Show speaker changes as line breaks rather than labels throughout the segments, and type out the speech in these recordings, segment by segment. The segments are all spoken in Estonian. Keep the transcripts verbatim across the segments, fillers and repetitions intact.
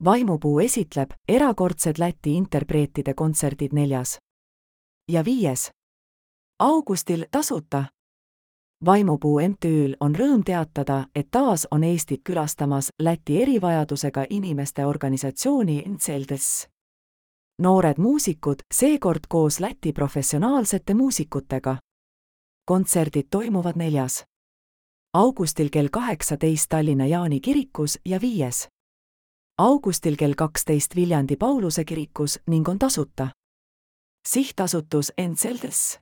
Vaimupuu esitleb erakordsed Läti interpreetide kontserdid neljas. Ja viies. augustil tasuta. Vaimupuu M T Ü'l on rõõm teatada, et taas on Eestit külastamas Läti erivajadusega inimeste organisatsiooni Enceldes. Noored muusikud, seekord koos Läti professionaalsete muusikutega. Kontserdid toimuvad neljas. augustil kell kaheksateist Tallinna Jaani kirikus ja viies. augustil kell kaksteist Viljandi Pauluse kirikus ning on tasuta. Sihtasutus Enceldes.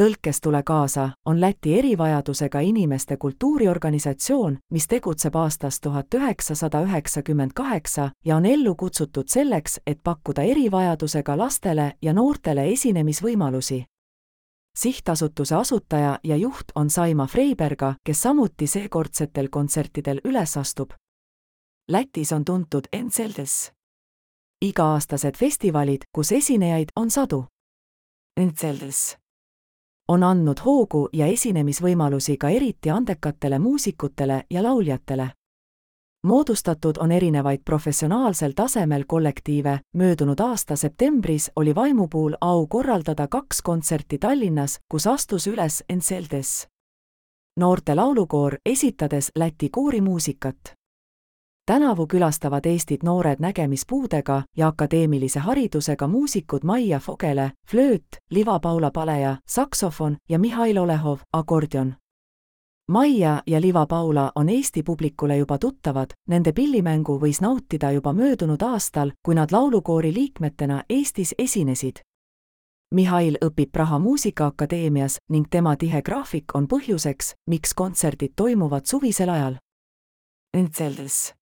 Tõlkes tule kaasa on Läti erivajadusega inimeste kultuuriorganisatsioon, mis tegutseb aastast tuhat üheksasada üheksakümmend kaheksa ja on ellu kutsutud selleks, et pakkuda erivajadusega lastele ja noortele esinemisvõimalusi. Sihtasutuse asutaja ja juht on Saima Freiberga, kes samuti seekordsetel kontsertidel üles astub. Lätis on tuntud Enceldes. Iga-aastased festivalid, kus esinejaid on sadu. Enceldes on andnud hoogu ja esinemisvõimalusi ka eriti andekatele muusikutele ja lauljatele. Moodustatud on erinevaid professionaalsel tasemel kollektiive, möödunud aasta septembris oli Vaimupuul au korraldada kaks kontserti Tallinnas, kus astus üles Enceldes. Noorte laulukoor esitades Läti koorimuusikat. Tänavu külastavad Eestit noored nägemispuudega ja akadeemilise haridusega muusikud Maia Fogele, flööt, Liva-Paula Paleja, saksofon ja Mihhail Olehov, akordion. Maia ja Liva-Paula on Eesti publikule juba tuttavad, nende pillimängu võis nautida juba möödunud aastal, kui nad laulukoori liikmetena Eestis esinesid. Mihhail õpib Praha Muusikaakadeemias ning tema tihe graafik on põhjuseks, miks kontserdid toimuvad suvisel ajal. Enceldes.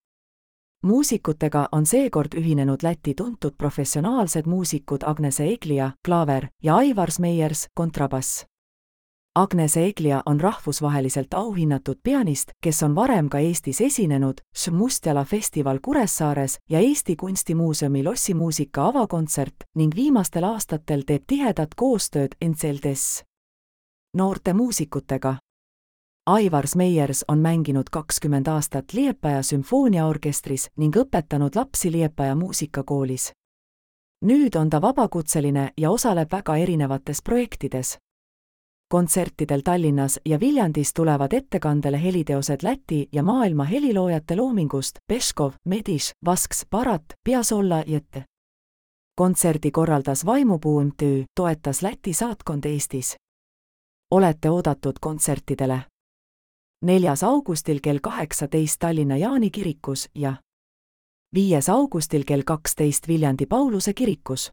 Muusikutega on seekord ühinenud Läti tuntud professionaalsed muusikud Agnese Eglia, klaaver ja Aivars Meiers, kontrabass. Agnese Eglia on rahvusvaheliselt auhinnatud pianist, kes on varem ka Eestis esinenud, Mustjala festival Kuressaares ja Eesti Kunstimuuseumi lossimuusika avakontsert ning viimastel aastatel teeb tihedat koostööd Enceldes. Noorte muusikutega. Aivars Meiers on mänginud kakskümmend aastat Liepaja sümfooniaorkestris ning õpetanud lapsi Liepaja muusikakoolis. Nüüd on ta vabakutseline ja osaleb väga erinevates projektides. Kontsertidel Tallinnas ja Viljandis tulevad ettekandele heliteosed Läti ja maailma heliloojate loomingust Peškov, Mediš, Vasks, Barat, Piazzolla jt. Kontserdi korraldas Vaimupuu M T Ü, toetas Läti saatkond Eestis. Olete oodatud kontsertidele. neljas augustil kell kaheksateist Tallinna Jaani kirikus ja viies augustil kell kaksteist Viljandi Pauluse kirikus.